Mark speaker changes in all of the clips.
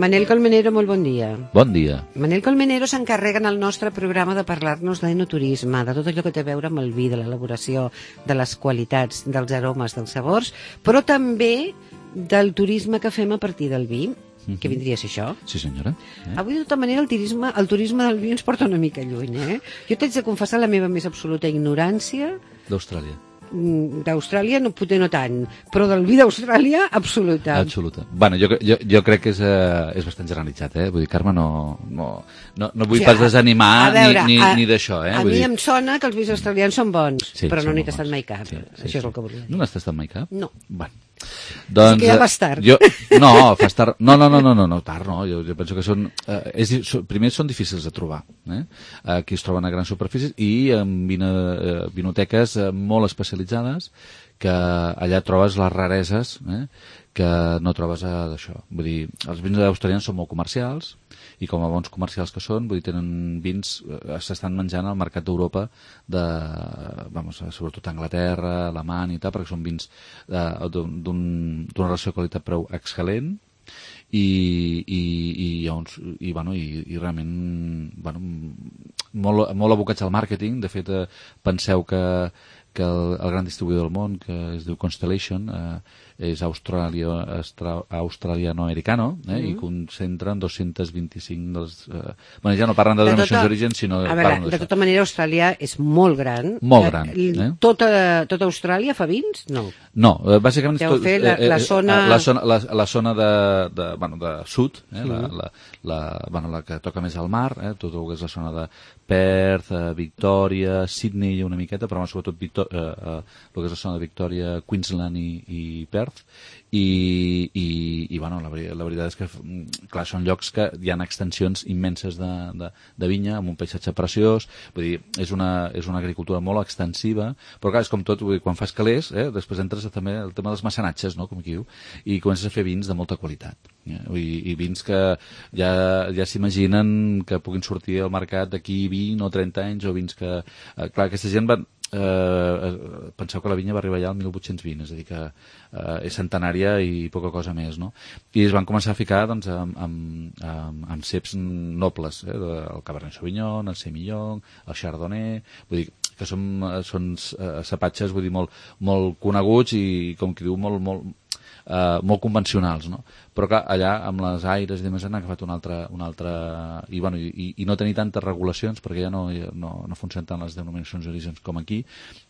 Speaker 1: Manel Colmenero, molt bon dia.
Speaker 2: Bon dia.
Speaker 1: Manel Colmenero s'encarrega en el nostre programa de parlar-nos d'enoturisme, de tot allò que té a veure amb el vi, de l'elaboració, de les qualitats, dels aromes, dels sabors, però també del turisme que fem a partir del vi. Què vindria a ser això?
Speaker 2: Sí, senyora.
Speaker 1: Avui, de tota manera, el turisme del vi ens porta una mica lluny, Jo t'haig de confessar la meva més absoluta ignorància
Speaker 2: D'Austràlia.
Speaker 1: d'Austràlia, potser no tant, però del vi d'Austràlia, absoluta.
Speaker 2: Absoluta. Bueno, jo crec que és bastant generalitzat, Vull dir, Carme, no vull pas desanimar ni d'això,
Speaker 1: A mi em sona que els vins australians són bons,
Speaker 2: Sí,
Speaker 1: però no
Speaker 2: són
Speaker 1: n'he
Speaker 2: molt
Speaker 1: tastat
Speaker 2: bons.
Speaker 1: mai cap.
Speaker 2: Sí,
Speaker 1: Això és el que volia dir.
Speaker 2: No n'has tastat mai cap?
Speaker 1: No.
Speaker 2: Bueno. Doncs,
Speaker 1: que ja vas tard.
Speaker 2: No, fas tard. No, tard no. Jo penso que són... primer són difícils de trobar. Aquí es troben a grans superfícies i en vinoteques molt especialitzades, que allà trobes les rareses que no trobes d'això. Vull dir, els vins australians són molt comercials i com a bons comercials que són, vull dir, tenen vins, s'estan menjant al mercat d'Europa, sobretot Anglaterra, Alemanya i tal, perquè són vins d'una relació qualitat-preu excel·lent i realment molt abocats al màrqueting. De fet, penseu que el gran distribuïdor del món, que es diu Constellation, és australiano-americano, i concentren 225 dels... ja no parlen de denominacions d'origen, sinó...
Speaker 1: A veure, de tota manera, Austràlia és molt gran.
Speaker 2: Molt gran.
Speaker 1: Tota Austràlia fa vins? No.
Speaker 2: No, bàsicament...
Speaker 1: Deu fer la zona...
Speaker 2: La zona de sud, la que toca més al mar, tot el que és la zona de Perth, Victòria, Sydney una miqueta, però sobretot el que és la zona de Victòria, Queensland i Perth, i la veritat és que clar, són llocs que hi ha extensions immenses de vinya, amb un paisatge preciós. Vull dir, és una agricultura molt extensiva, però clar, és com tot, vull dir, quan fas calés, després entres també el tema dels mecenatges, no?, com aquí diu, i comences a fer vins de molta qualitat, i vins que ja s'imaginen que puguin sortir al mercat d'aquí 20 o 30 anys, o vins que, clar, aquesta gent penseu que la vinya va arribar ja al 1820, és a dir que és centenària i poca cosa més, no? I es van començar a ficar amb ceps nobles, el Cabernet Sauvignon, el Semillon, el Chardonnay, vull dir que són cepatges, vull dir, molt coneguts i, com qui diu, molt convencionals, no? Però clar, allà amb les aires i demés han agafat un altre i no tenir tantes regulacions, perquè ja no funcionen tant les denominacions d'origen com aquí.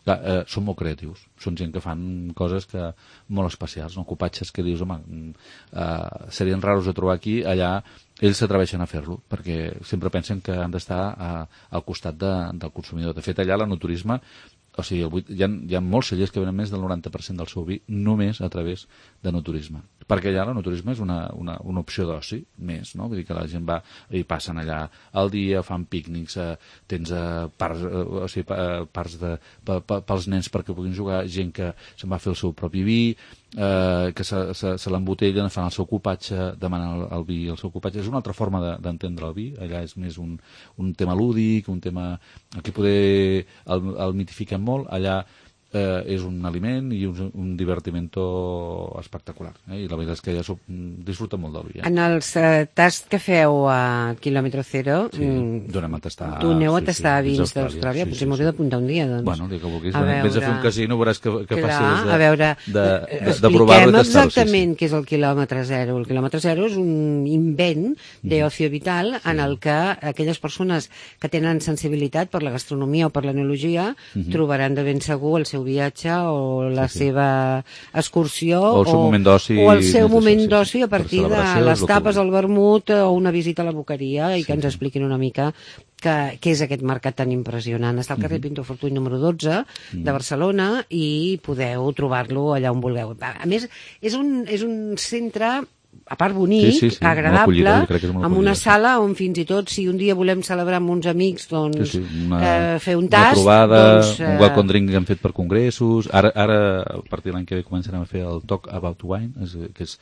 Speaker 2: Clar, són molt creatius, són gent que fan coses molt especials, no? Copatges que dius, home, serien raros de trobar aquí, allà ells s'atreveixen a fer-lo, perquè sempre pensen que han d'estar al costat del consumidor. De fet, allà l'enoturisme, o sigui, hi ha molts cellers que venen més del 90% del seu vi només a través d'enoturisme, perquè allà l'enoturisme és una opció d'oci més, no? Vull dir que la gent va i passen allà al dia, fan pícnics, tens parts pels nens perquè puguin jugar, gent que se'n va fer el seu propi vi, que se l'embotellen, fan el seu copatge, demanen el vi, el seu copatge. És una altra forma d'entendre el vi. Allà és més un tema lúdic, un tema... Aquí poder el mitifiquen molt, allà és un aliment i un divertimento espectacular, i la veritat és que ja disfruta molt del vi.
Speaker 1: En els tasts que feu a quilòmetre zero,
Speaker 2: doneu a tastar
Speaker 1: vins d'Austràlia, potser m'hauré d'apuntar un dia, doncs.
Speaker 2: Bueno, el que vulguis, vés a fer un casino, veuràs que
Speaker 1: Clar,
Speaker 2: fàcil de provar-ho i tastar-ho.
Speaker 1: Exactament què és el quilòmetre zero. El quilòmetre zero és un invent d'ocio vital en el que aquelles persones que tenen sensibilitat per la gastronomia o per l'enologia trobaran de ben segur el seu viatge o la seva excursió
Speaker 2: o el seu moment d'oci
Speaker 1: a partir de les tapes, el vermut o una visita a la boqueria i que ens expliquin una mica què és aquest mercat tan impressionant. Està al carrer Pinto Fortuny número 12 de Barcelona i podeu trobar-lo allà on vulgueu. A més, és un centre a part bonic, agradable, amb una sala on fins i tot, si un dia volem celebrar amb uns amics, doncs, fer un tast...
Speaker 2: Una trobada, un welcome drink que han fet per congressos. Ara a partir de l'any que ve començarem a fer el Talk About Wine, que és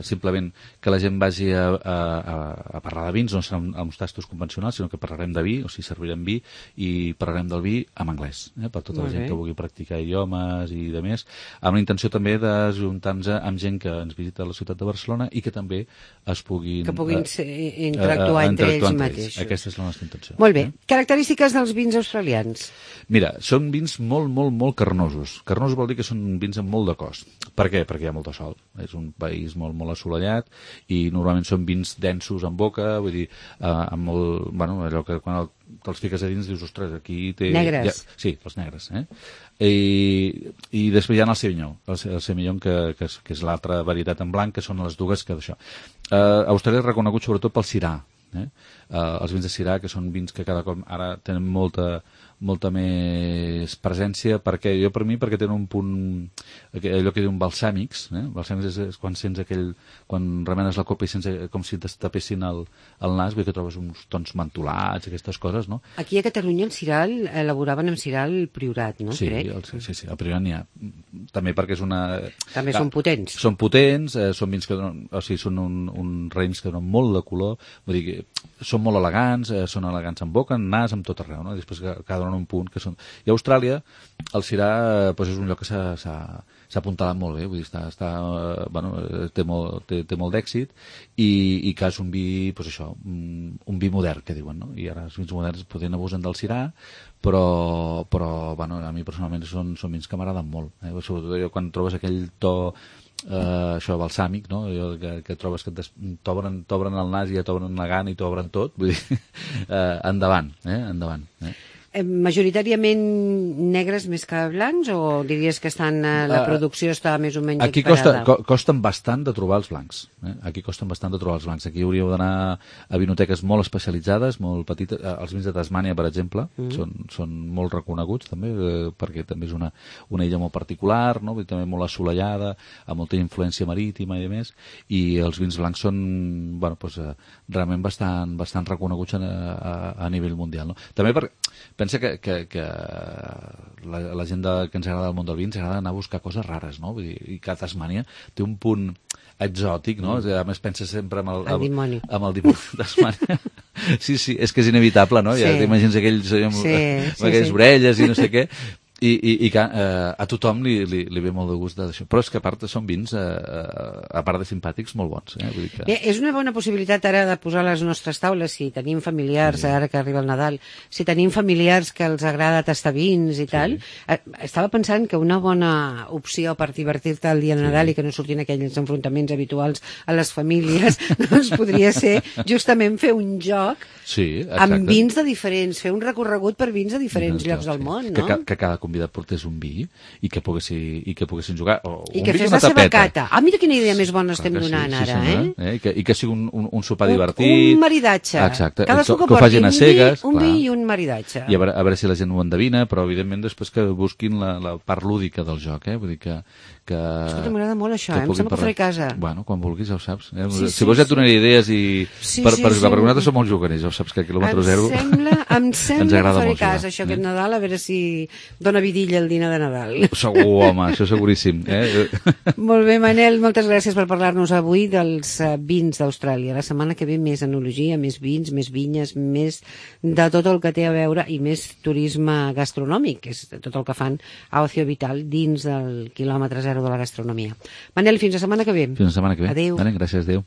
Speaker 2: simplement que la gent vagi a parlar de vins, no seran uns tastos convencionals, sinó que parlarem de vi, o sigui, servirem vi, i parlarem del vi en anglès, per tota la gent que vulgui practicar idiomes i de més, amb la intenció també d'ajuntar-nos amb gent que ens visita a la ciutat de Barcelona Barcelona i que també es puguin...
Speaker 1: Que puguin interactuar entre ells mateixos.
Speaker 2: Aquesta és la nostra intenció.
Speaker 1: Molt bé. Característiques dels vins australians.
Speaker 2: Mira, són vins molt carnosos. Carnosos vol dir que són vins amb molt de cos. Per què? Perquè hi ha molt de sol. És un país molt assolellat i normalment són vins densos en boca, vull dir, amb molt... Bueno, allò que quan te'ls fiques a dins dius, ostres, aquí té...
Speaker 1: Negres.
Speaker 2: Sí, els negres, I després hi ha el Semillon, que és l'altra varietat en blanc, que són les dues que d'això. Austràlia és reconegut sobretot pel Syrah, els vins de Syrah, que són vins que cada cop ara tenen molta més presència, perquè tenen un punt, allò que diuen balsàmics, balsàmics és quan sents quan remenes la copa i sents com si t'estapessin el nas, que trobes uns tons mentolats, aquestes coses, no?
Speaker 1: Aquí a Catalunya el Syrah elaboraven amb Syrah el Priorat, no?
Speaker 2: Sí, el Priorat n'hi ha. També perquè és una...
Speaker 1: També són potents.
Speaker 2: Són potents, són vins que donen, o sigui, són uns raïms que donen molt de color, vull dir que són molt elegants, són elegants en boca, en nas, amb tot arreu, no? I després cada donen un punt que són... I a Austràlia el Syrah és un lloc que s'ha apuntalat molt bé, vull dir, té molt d'èxit i que és un vi, un vi modern, que diuen, no? I ara els vins moderns poden abusen del Syrah, però a mi personalment són vins que m'agraden molt, sobretot quan trobes aquell to això balsàmic, no? Que trobes que t'obren el nas i ja t'obren la gana i t'obren tot, vull dir, endavant.
Speaker 3: Majoritàriament negres més que blancs, o diries que la producció està més o menys
Speaker 2: aquí
Speaker 3: equiparada?
Speaker 2: costen bastant de trobar els blancs. Aquí costen bastant de trobar els blancs. Aquí hauríeu d'anar a vinoteques molt especialitzades, molt petites. Els vins de Tasmània, per exemple, són molt reconeguts també, perquè també és una illa molt particular, no? També molt assolellada, amb molta influència marítima i més, i els vins blancs són realment bastant reconeguts a nivell mundial, no? També pensa que la gent que ens agrada el món del vi ens agrada anar a buscar coses rares, no? Vull dir, i que Tasmània té un punt exòtic, no? A més, pensa sempre amb el dimoni de Tasmània. Sí, és que és inevitable, no? Ja t'imagines aquells orelles i no sé què. I que a tothom li ve molt de gust d'això. Però és que a part són vins, a part de simpàtics, molt bons. Vull dir que...
Speaker 3: Bé, és una bona possibilitat ara de posar a les nostres taules, si tenim familiars, ara que arriba el Nadal, si tenim familiars que els agrada tastar vins i tal. Estava pensant que una bona opció per divertir-te el dia de Nadal i que no surtin aquells enfrontaments habituals a les famílies, doncs podria ser justament fer un joc amb vins de diferents, fer un recorregut per vins de diferents llocs del món, no?
Speaker 2: Que cada convidat portés un vi i que poguessin jugar.
Speaker 3: I que fes la seva cata. Mira quina idea més bona estem donant ara,
Speaker 2: I que sigui un sopar divertit.
Speaker 3: Un maridatge.
Speaker 2: Exacte.
Speaker 3: Cadascú que
Speaker 2: porti
Speaker 3: un vi i un maridatge.
Speaker 2: I a veure si la gent ho endevina, però evidentment després que busquin la part lúdica del joc, vull dir que...
Speaker 3: Escolta, m'agrada molt això, em sembla que ho faré a casa.
Speaker 2: Bueno, quan vulguis ja ho saps. Si vols ja et donaré idees perquè nosaltres som molt juganers, ja ho saps que a quilòmetre zero
Speaker 3: em sembla que ho faré a casa, això aquest Nadal, a veure si dona vidilla el dinar de Nadal.
Speaker 2: Segur, home, això seguríssim.
Speaker 3: Molt bé, Manel, moltes gràcies per parlar-nos avui dels vins d'Austràlia. La setmana que ve més enologia, més vins, més vinyes, més de tot el que té a veure i més turisme gastronòmic, que és tot el que fan a Ocio Vital dins del quilòmetre zero de la gastronomia. Manel, fins la setmana que ve.
Speaker 2: Fins la setmana que ve.
Speaker 3: Adéu.
Speaker 2: Gràcies, adéu.